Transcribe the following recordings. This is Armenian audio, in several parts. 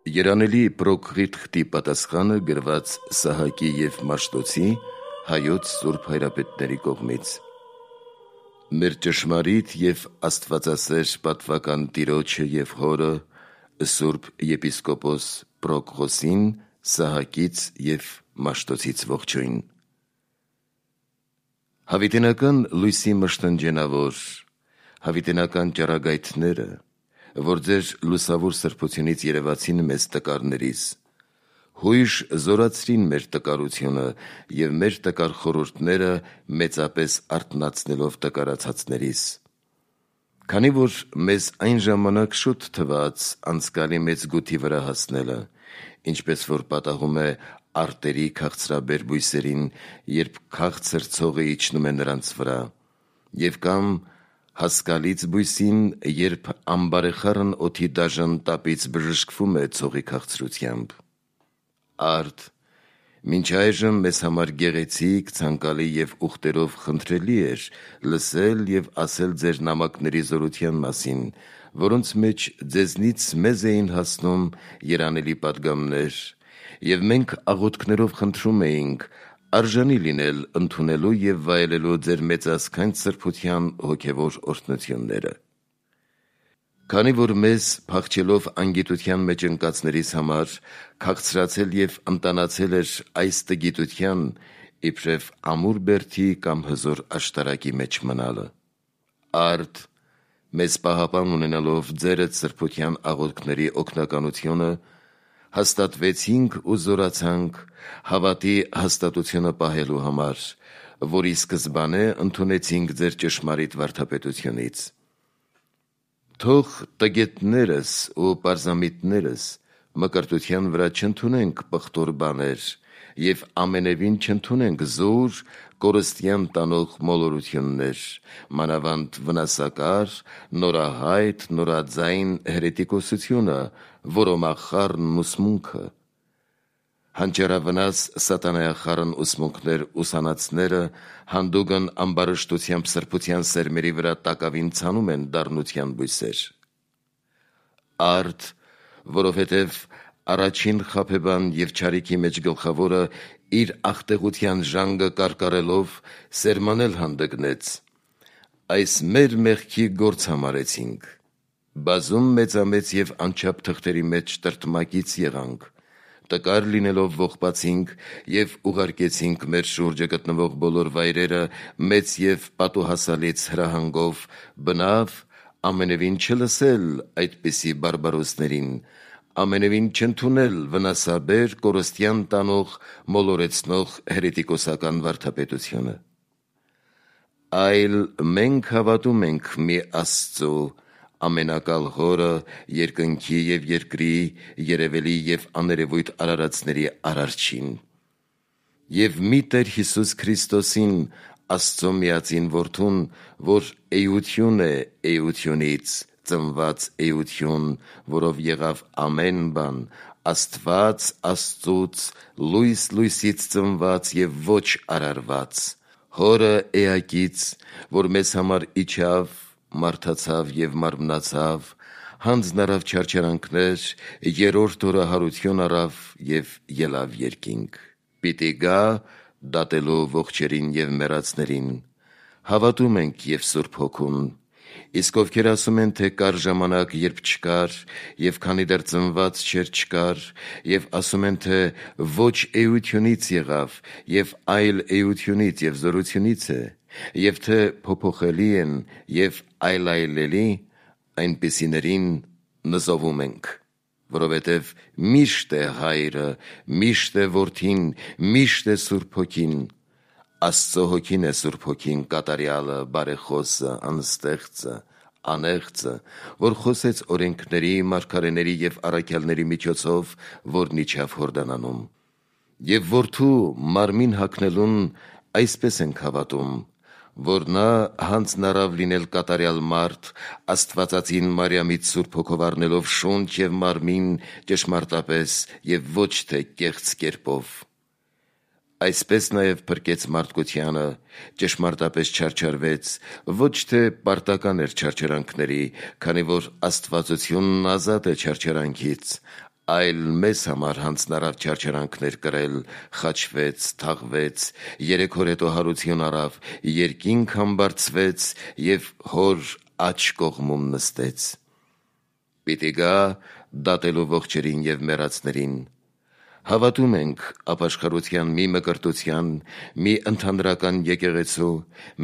Երանելի Պրոկղիթ խտի պատասխանը գրված Սահակի և Մաշտոցի հայոց սուրբ հայրապետների կողմից։ Մեր ճշմարիտ և աստվածասեր պատվական տիրոջը և հորը սուրբ եպիսկոպոս Պրոկղոսին Սահակից և Մաշտոցից ողջույն։ Հավիտենական լույսի մշտնջենավոր, հավիտենական ճառագայթները, որ ձեր լուսավոր սրբությունից երևացին մեզ տկարներիս, հույժ զորացրին մեր տկարությունը և մեր տկար խորհուրդները մեծապես արթնացնելով տկարացածներիս։ Քանի որ մեզ այն ժամանակ շուտ թվաց անցկալի մեծ գութի վրա հասնելը, ինչպես որ պատահում է արտերի քաղցրաբեր բույսերին, երբ քաղցր ցողը իջնում է նրանց վրա, և կամ հասկալից բույսին, երբ ամբարեխառն օդի դաժան տապից բժշկվում է ցողի քաղցրությամբ։ Արդ, մինչ այժմ մեզ համար գեղեցիկ, ցանկալի և ուխտերով խնդրելի էր լսել և ասել ձեր նամակների զորության մասին, որոնց մեջ ձեզնից մեզ էին հասնում երանելի պատգամներ, և մենք աղոթքներով խնդրում էինք արժանի լինել ընդունելու և վայելելու ձեր մեծազգանց սրբության հոգևոր օրհնությունները։ Քանի որ մեզ, փախչելով անգիտության մեջ ընկածներիս համար, քաղցրացել և ընտանացել էր այս տգիտության, իբրև ամուր բերդի կամ հզոր աշտարակի մեջ մնալը։ Արդ, մեզ պահապան ունենալով ձերդ սրբության աղոթքների օգնականությունը, հաստատվեցինք ու զորացանք հավատի հաստատությունը պահելու համար, որի սկզբանե ընդունեցինք ձեր ճշմարիտ վարդապետությունից։ Թող տգետներս ու պարզամիտներս մկրտության վրա չընդունենք պղտոր բաներ և ամենևին չընդունենք զուր կորստյան տանող մոլորություններ, մանավանդ վնասակար, նորահայտ, նորաձայն հերետիկոսությունը, որոմախառն ուսմունքը, հանճարավնաս սատանայախառն ուսմունքներ ուսանածները հանդուգն ամբարշտությամբ սրբության սերմերի վրա տակավին ցանում են դառնության բույսեր։ Արդ, որովհետև առաջին խաբեբան և չարիքի մեջ գլխավորը իր աղտեղության ժանգը կարկառելով սերմանել հանդգնեց, այս մեր մեղքի գործ համարեցինք, բազում մեծամեծ և անչափ թղթերի մեջ տրտմակից եղանք, տկար լինելով ողբացինք և ուղարկեցինք մեր շուրջը գտնվող բոլոր վայրերը մեծ և պատուհասալից հրահանգով, բնավ ամենևին չլսել այդպիսի բարբարոսներին, ամենևին չընդունել վնասաբեր, կորստյան տանող, մոլորեցնող հերետիկոսական վարդապետությունը։ Այլ մենք հավատում ենք մի Աստծու, ամենակալ Հորը, երկնքի և երկրի, երևելի և աներևույթ արարածների Արարչին, և մի Տեր Հիսուս Քրիստոսին, Աստծու միածին Որդուն, որ էություն է էությունից, ծնված էություն, որով եղավ ամեն բան, Աստված Աստծուց, լույս լույսից ծնված և ոչ արարված, Հորը էակից, որ մեզ համար իջավ, մարդացավ և մարմնացավ, հանձն առավ չարչարանքներ, երրորդ օրը հարություն առավ և ելավ երկինք, պիտի գա դատելու ողջերին և մեռածներին, հավատում ենք և Սուրբ Հոգուն, իսկ ովքեր ասում են, թե կար ժամանակ, երբ չկար, և քանի դեռ ծնված չէր, չկար, և ասում են, թե ոչ էությունից եղավ, և այլ էությունից և զորությունից է, և թե փոփոխելի են և այլայլելի, այնպիսիներին նզովում ենք, որովհետև միշտ է Հայրը, միշտ է Որդին, միշտ է Սուրբ Հոգին, Աստծու Հոգին է Սուրբ Հոգին, կատարյալը, բարեխոսը, անստեղծը, անեղծը, որ խոսեց օրենքների, մարգարեների և առաքյալների միջոցով, որն իջավ Հորդանանում։ Եվ Որդու մարմին հագնելուն այսպես ենք հավատում, որ նա հանձն առավ լինել կատարյալ մարդ, Աստվածածին Մարիամից Սուրբ Հոգով առնելով շունչ և մարմին ճշմարտապես և ոչ թե կեղծ կերպով։ Այսպես նաև փրկեց մարդկությանը, ճշմարտապես չարչարվեց, ոչ թե պարտական էր չարչարանքների, քանի որ աստվածությունն ազատ է չարչարանքից, այլ մեզ համար հանձնարար չարչարանքներ կրել, խաչվեց, թաղվեց, 3 օր հետո հարություն առավ, երկինք համբարձվեց և հոր աջ կողմում նստեց։ Պիտի գա դատելու ողջերին և մեռածներին։ Հավատում ենք ապաշխարության մի մկրտության, մի ընդհանրական եկեղեցու,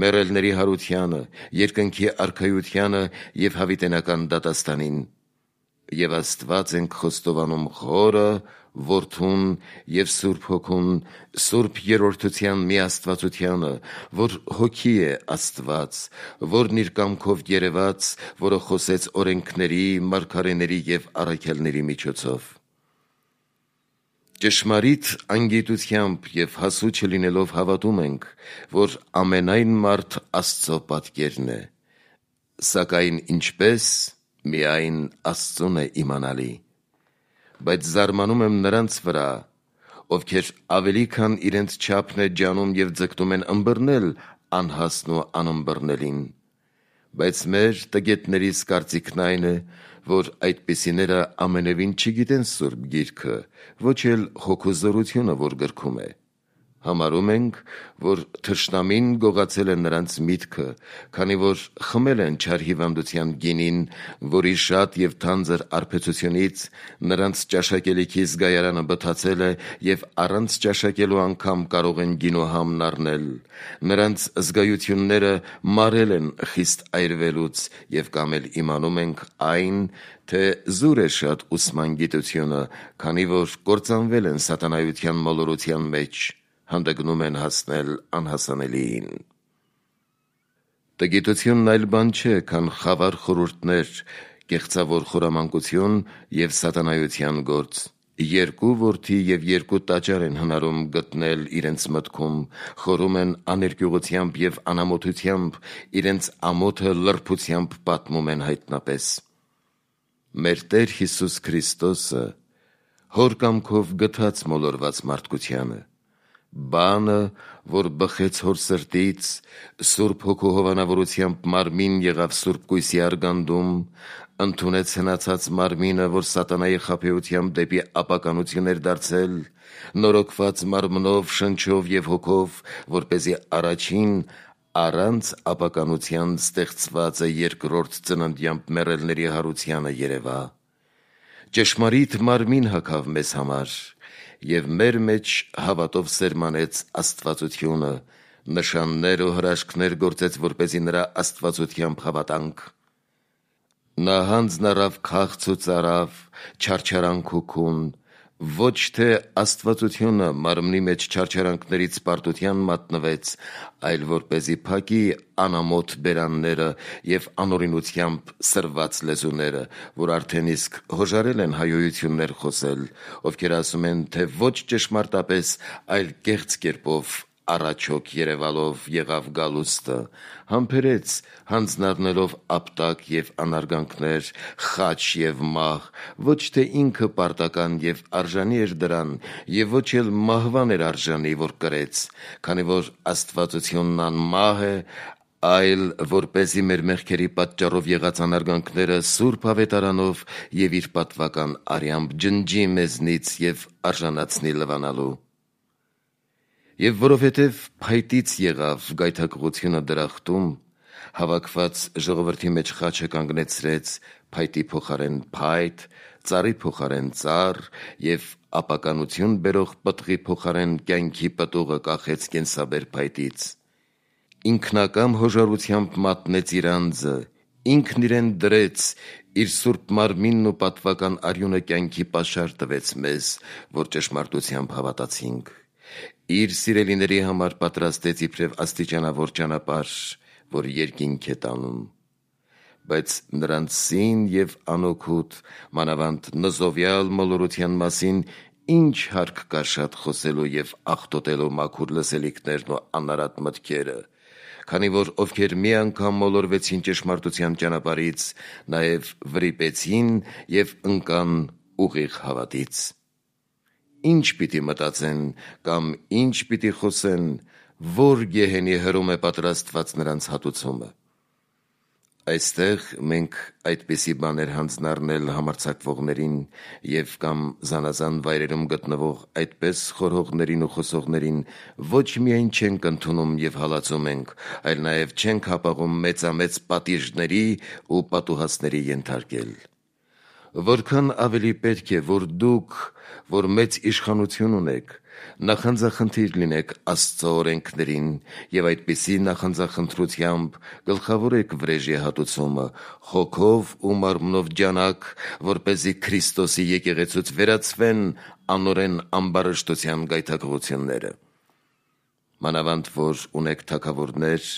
մեռելների հարությանը, երկնքի արքայությանը և հավիտենական դատաստանին։ Եվ Աստված ենք խոստովանում Խորը, Որդուն և Սուրբ Հոգուն, Սուրբ Երրորդության միաստվածությանը, որ Հոգի է Աստված, որն իր կամքով երևաց, որը խոսեց օրենքների, մարգարեների և առաքյալների միջոցով։ Ճշմարիտ անգիտությամբ և հասու չլինելով հավատում ենք, որ ամենայն մարդ Աստծո պատկերն է, սակայն ինչպես, միայն Աստծուն է իմանալի։ Բայց զարմանում եմ նրանց վրա, ովքեր ավելի քան իրենց չափն է ջանում և ձգտում են ըմբռնել անհասն ու անըմբռնելին։ Բայց մեր տգետներիս կարծիքն այն է, որ այդպիսիները ամենևին չգիտեն Սուրբ Գիրքը, ոչ էլ Հոգու զորությունը, որ գրքում է։ Համարում ենք, որ թշնամին գողացել է նրանց միտքը, քանի որ խմել են չար հիվանդության գինին, որի շատ և թանձր արբեցությունից նրանց ճաշակելիքի զգայարանը բթացել է և առանց ճաշակելու անգամ կարող են գինուհամն առնել։ Նրանց զգայությունները մարել են խիստ այրվելուց և կամ էլ իմանում ենք այն, թե զուր է շատ ուսման գիտությունը, քանի որ կործանվել են սատանայության մոլորության մեջ, հանդգնում են հասնել անհասանելիին։ Տգիտությունն այլ բան չէ, քան խավար խորհուրդներ, կեղծավոր խորամանկություն և սատանայության գործ։ 2 որդի և 2 տաճար են հնարում գտնել իրենց մտքում, խորում են աներկյուղությամբ և անամոթությամբ, իրենց ամոթը լրբությամբ պատմում են հայտնապես։ Մեր Տեր Հիսուս Քրիստոսը Հոր կամքով գթաց մոլորված մարդկությանը։ Բանը, որ բխեց հոր սրտից, Սուրբ Հոգու հովանավորությամբ մարմին եղավ Սուրբ Կույսի արգանդում, ընդունեց հնացած մարմինը, որ սատանայի խաբեությամբ դեպի ապականություն էր դարձել, նորոգված մարմնով, շնչով և հոգով, որպեսզի առաջին առանց ապականության ստեղծվածը երկրորդ ծննդյամբ մեռելների հարությանը երևա։ Ճշմարիտ մարմին հագավ մեզ համար և մեր մեջ հավատով սերմանեց աստվածությունը, նշաններ ու հրաշքներ գործեց, որպեսզի նրա աստվածությամբ հավատանք։ Նա հանձն առավ քաղց ու ծարավ, չարչարանք ու քուն, ոչ թե աստվածությունը մարմնի մեջ չարչարանքներից պարտության մատնվեց, այլ որպեսզի փակի անամոթ բերանները և անօրինությամբ սրված լեզուները, որ արդեն իսկ հոժարել են հայոյություններ խոսել, ովքեր ասում են, թե ոչ ճշմարտապես, այլ կեղծ կերպով առաջոք երևալով եղավ գալուստը, համբերեց հանձն առնելով ապտակ և անարգանքներ, խաչ և մահ, ոչ թե ինքը պարտական և արժանի էր դրան, և ոչ էլ մահվան էր արժանի, որ կրեց, քանի որ աստվածությունն անմահ է, այլ որպեսզի մեր մեղքերի պատճառով եղած անարգանքները սուրբ ավետարանով և իր պատվական արյամբ ջնջի մեզնից և արժանացնի լվանալու։ Եվ որովհետև փայտից եղավ գայթակղությունը դրախտում, հավաքված ժողովրդի մեջ խաչը կանգնեցրեց փայտի փոխարեն փայտ, ծառի փոխարեն ծառ և ապականություն բերող պտղի փոխարեն կյանքի պտուղը կախեց կենսաբեր փայտից։ Ինքնակամ հոժարությամբ մատնեց իր անձը, ինքն իրեն դրեց, իր սուրբ մարմինն ու պատվական արյունը կյանքի պաշար տվեց մեզ, որ ճշմարտությամբ հավատացինք։ Իր սիրելիների համար պատրաստեց իբրև աստիճանավոր ճանապարհ, որ երկինք է տանում։ Բայց նրանց սին և անօգուտ, մանավանդ նզովյալ մոլորության մասին ինչ հարկ կա շատ խոսելու և աղտոտելու մաքուր լսելիքներն ու անարատ մտքերը, քանի որ ովքեր մի անգամ մոլորվեցին ճշմարտության ճանապարհից, նաև վրիպեցին և ընկան ուղիղ հավատից։ Ինչ պիտի մտածեն կամ ինչ պիտի խոսեն, որ գեհենի հրում է պատրաստված նրանց հատուցումը։ Այստեղ մենք այդպիսի բաներ հանձնառնել համարձակվողներին և կամ զանազան վայրերում գտնվող այդպես խորհողներին ու խոսողներին ոչ միայն չենք ընդունում և հալածում ենք, այլ նաև չենք հապաղում մեծամեծ պատիժների ու պատուհասների ենթարկել։ Որքան ավելի պետք է, որ դուք, որ մեծ իշխանություն ունեք, նախանձախնդիր լինեք Աստծո օրենքներին և այդպիսի նախանձախնդրությամբ գլխավորեք վրեժի հատուցումը, հոգով ու մարմնով ջանաք, որպեսզի Քրիստոսի եկեղեցուց վերացվեն անօրեն ամբարշտության գայթակղությունները։ Մանավանդ որ ունեք թագավորներ,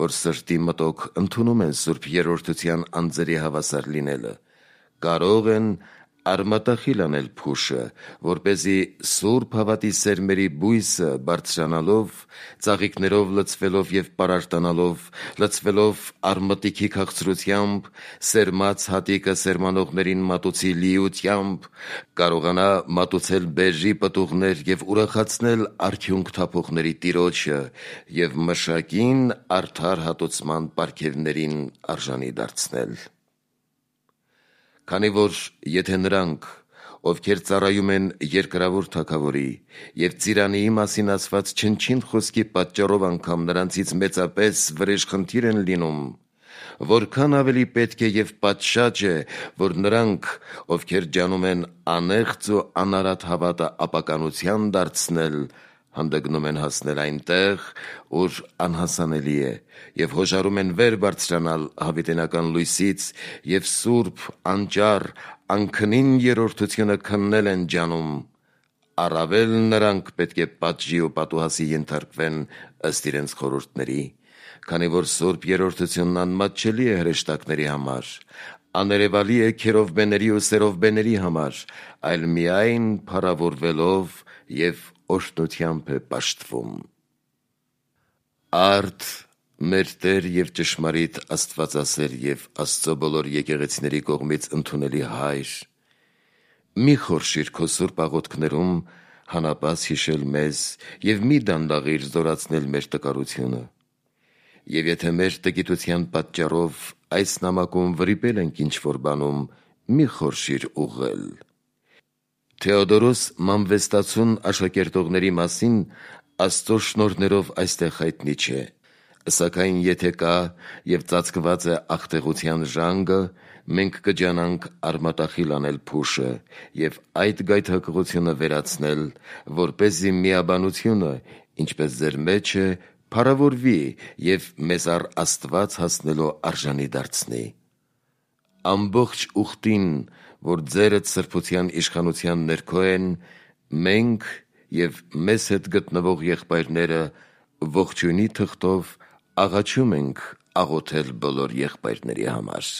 որ սրտի մտոք ընդունում են Սուրբ Երրորդության անձերի հավասար լինելը, կարող են արմատախիլ անել փուշը, որպեսզի սուրբ հավատի սերմերի բույսը բարձրանալով, ծաղիկներով լցվելով և պարարտանալով, լցվելով արմատիքի քաղցրությամբ, սերմած հատիկը սերմանողներին մատուցի լիությամբ, կարողանա մատուցել բերրի պտուղներ և ուրախացնել արդյունք թափողների Տիրոջը և մշակին արդար հատուցման պարգևներին արժանի դարձնել։ Քանի որ եթե նրանք, ովքեր ծառայում են երկրավոր թագավորի և ծիրանիի մասին ասված չնչին խոսքի պատճառով անգամ նրանցից մեծապես վրեժխնդիր են լինում, որքան ավելի պետք է և պատշաճ է, որ նրանք, ովքեր ջանում են անեղծ ու անարատ հավատը ապականության դարձնել, հանդգնում են հասնել այնտեղ, ուր անհասանելի է, և հոժարում են վեր բարձրանալ հավիտենական լույսից և սուրբ, անճառ, անքնին երրորդությունը քննել են ջանում, առավել նրանք պետք է պատժի ու պատուհասի ենթարկվեն ըստ իրենց խորհուրդների, քանի որ Սուրբ Երրորդությունն անմատչելի է հրեշտակների համար, աներևալի է քերովբեների ու սերովբեների համար, այլ միայն փառավորվելով և օրհնությամբ է պաշտվում։ Արդ մեր Տեր և ճշմարիտ Աստվածասեր և Աստծո բոլոր եկեղեցիների կողմից ընդունելի Հայր, մի խորշիր քո սուրբ աղոթքներում հանապաս հիշել մեզ և մի դանդաղիր զորացնել մեր տկարությունը։ Եվ եթե մեր տգիտության պատճառով այս նամակում վրիպել ենք ինչ-որ բանում, մի խորշիր ուղղել։ Թեոդորոս Մանվեստացուն աշակերտողների մասին Աստծո շնորհներով այստեղ հայտնի չէ, սակայն եթե կա և ծածկված է աղտեղության ժանգը, մենք կջանանք արմատախիլ անել փուշը և այդ գայթակղությունը վերացնել, որպեսզի միաբանությունը, ինչպես ձեր մեջ է, փառավորվի և մեզ առ Աստված հասնելու արժանի դարձնի։ Ամբողջ ուխտին, որ ձերդ սրբության իշխանության ներքո են, մենք և մեզ հետ գտնվող եղբայրները ողջույնի թղթով աղաչում ենք աղոթել բոլոր եղբայրների համար։